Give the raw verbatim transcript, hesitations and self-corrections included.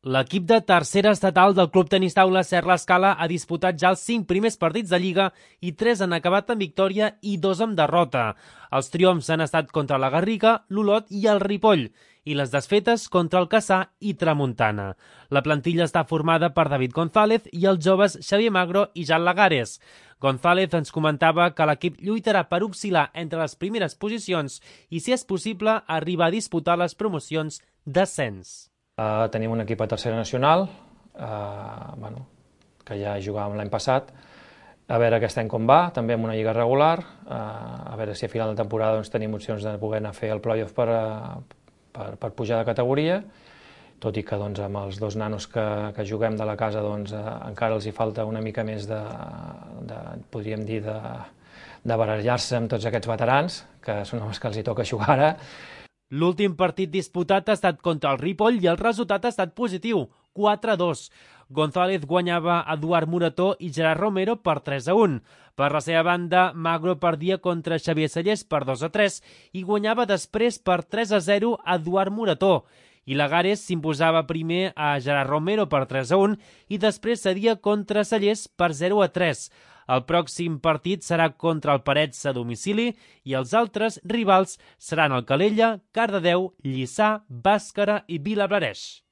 L'equip de tercera estatal del Club Tenis Taula Serra Escala ha disputat ja els cinc primers partits de Lliga i tres han acabat amb victòria i dos amb derrota. Els triomfs han estat contra la Garriga, l'Olot i el Ripoll, i les desfetes contra el Cassà i Tramuntana. La plantilla està formada per David González i els joves Xavier Magro i Jan Lagares. González ens comentava que l'equip lluitarà per oscil·lar entre les primeres posicions i, si és possible, arribar a disputar les promocions d'ascens. Uh, tenim un equip a tercera nacional, uh, bueno, que ja jugàvem l'any passat, a veure aquest any com va, també amb una lliga regular, uh, a veure si a final de temporada doncs, tenim opcions de poder anar a fer el play-off per, per, per pujar de categoria, tot i que doncs, amb els dos nanos que, que juguem de la casa doncs, uh, encara els hi falta una mica més de, de podríem dir, de, de barallar-se amb tots aquests veterans, que són els que els hi toca jugar ara. L'últim partit disputat ha estat contra el Ripoll i el resultat ha estat positiu, quatre a dos. González guanyava Eduard Morató i Gerard Romero per tres a un. Per la seva banda, Magro perdia contra Xavier Sallés per dos a tres i guanyava després per tres a zero Eduard Morató. I Lagares s'imposava primer a Gerard Romero per tres a un i després cedia contra Sallés per zero a tres. El pròxim partit serà contra el Parets a domicili i els altres rivals seran el Calella, Cardedeu, Lliçà, Bàscara i Vilablareix.